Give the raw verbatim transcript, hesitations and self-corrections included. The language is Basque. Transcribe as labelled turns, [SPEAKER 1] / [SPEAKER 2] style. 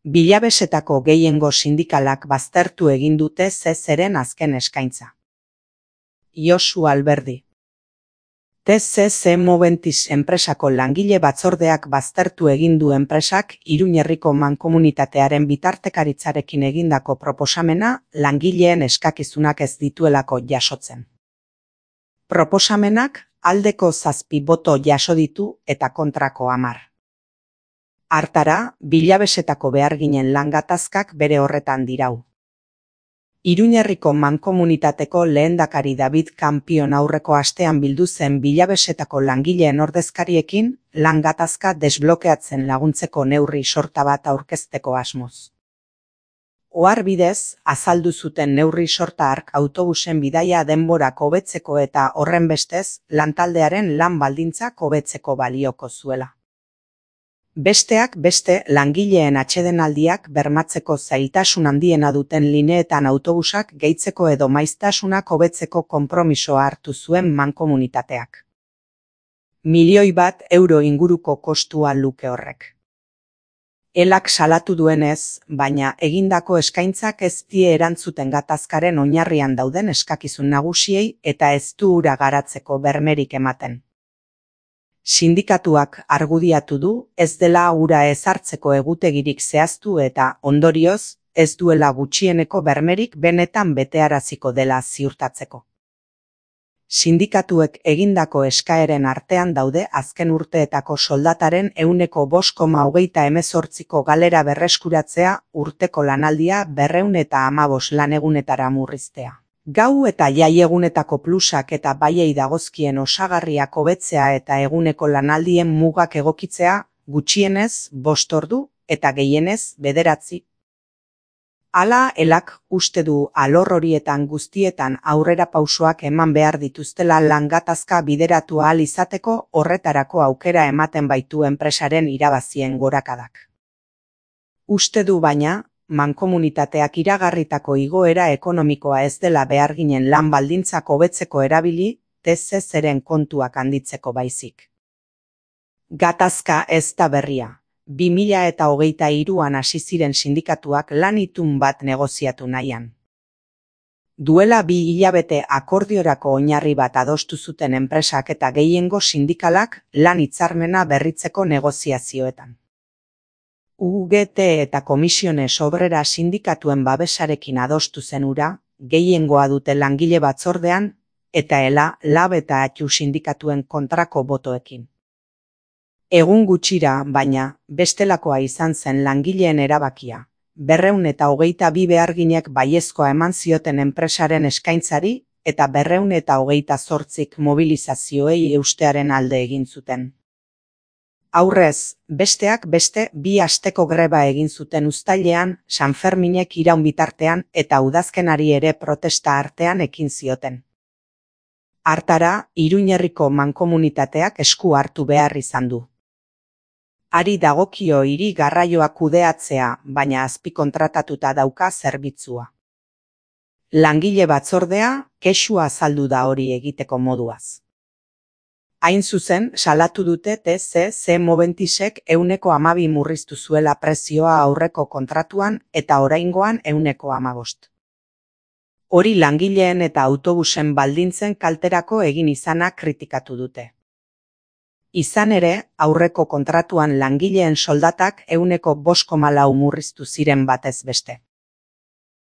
[SPEAKER 1] Bilabesetako gehiengo sindikalak baztertu egin dute T C-ren azken eskaintza. Josu Alberdi. T C C Moventis enpresako langile batzordeak baztertu egin du enpresak Iruñerriko mankomunitatearen bitartekaritzarekin egindako proposamena langileen eskakizunak ez dituelako jasotzen. Proposamenak aldeko zazpi boto jaso ditu eta kontrako hamar. Hartara, bilabesetako beharginen lan gatazkak bere horretan dirau. Iruñerriko mankomunitateko lehendakari David Campion aurreko astean bildu zen bilabesetako langileen ordezkariekin lan gatazka desblokeatzen laguntzeko neurri sorta bat aurkezteko asmoz. Ohar bidez, azaldu zuten neurri sorta hark autobusen bidaia denborak hobetzeko eta horrenbestez lantaldearen lan baldintzak hobetzeko balioko zuela. Besteak beste langileen atsedenaldiak bermatzeko zailtasun handiena duten lineetan autobusak gehitzeko edo maiztasunak hobetzeko konpromisoa hartu zuen mankomunitateak. Milioi bat euro inguruko kostua luke horrek. Elak salatu duenez, baina egindako eskaintzak ez die erantzuten gatazkaren oinarrian dauden eskakizun nagusiei eta ez du hura garatzeko bermerik ematen. Sindikatuak argudiatu du ez dela hura ezartzeko egutegirik zehaztu eta, ondorioz, ez duela gutxieneko bermerik benetan betearaziko dela ziurtatzeko. Sindikatuek egindako eskaeren artean daude azken urteetako soldataren ehuneko bost koma hogeita hemezortziko galera berreskuratzea, urteko lanaldia berrehun eta hamabost lanegunetara murriztea. Gau eta jaiegunetako plusak eta baiei dagozkien osagarriak hobetzea eta eguneko lanaldien mugak egokitzea, gutxienez bost ordu eta gehienez bederatzi. Hala, elak uste du alor horietan guztietan aurrera pausoak eman behar dituztela lan gatazka bideratu ahal izateko horretarako aukera ematen baitu enpresaren irabazien gorakadak. Uste du baina, mankomunitateak iragarritako igoera ekonomikoa ez dela beharginen lan baldintzak hobetzeko erabili, T C C-ren kontuak handitzeko baizik. Gatazka ez da berria. bi mila eta hogeita hiruan hasi ziren sindikatuak lan itun bat negoziatu nahian. Duela bi hilabete akordiorako oinarri bat adostu zuten enpresak eta gehiengo sindikalak lan hitzarmena berritzeko negoziazioetan. U G T eta Komisiones Obrera sindikatuen babesarekin adostu zen hura, gehiengoa dute langile batzordean, eta ela, lab eta atxu sindikatuen kontrako botoekin. Egun gutxira, baina, bestelakoa izan zen langileen erabakia. Berrehun eta hogeita bi beharginek baiezkoa eman zioten enpresaren eskaintzari, eta berrehun eta hogeita zortzik mobilizazioei eustearen alde egin zuten. Aurrez, besteak beste bi asteko greba egin zuten uztailean, Sanferminek iraun bitartean eta udazkenari ere protesta artean ekin zioten. Hartara, Iruñerriko mankomunitateak esku hartu behar izan du. Ari dagokio hiri garraioa kudeatzea, baina azpikontratatuta dauka zerbitzua. Langile batzordea, kexua azaldu da hori egiteko moduaz. Hain zuzen, salatu dute T C C Moventisek ehuneko hamabi murriztu zuela prezioa aurreko kontratuan eta oraingoan ehuneko hamabost. Hori langileen eta autobusen baldintzen kalterako egin izana kritikatu dute. Izan ere, aurreko kontratuan langileen soldatak ehuneko bost koma lau murriztu ziren batez beste.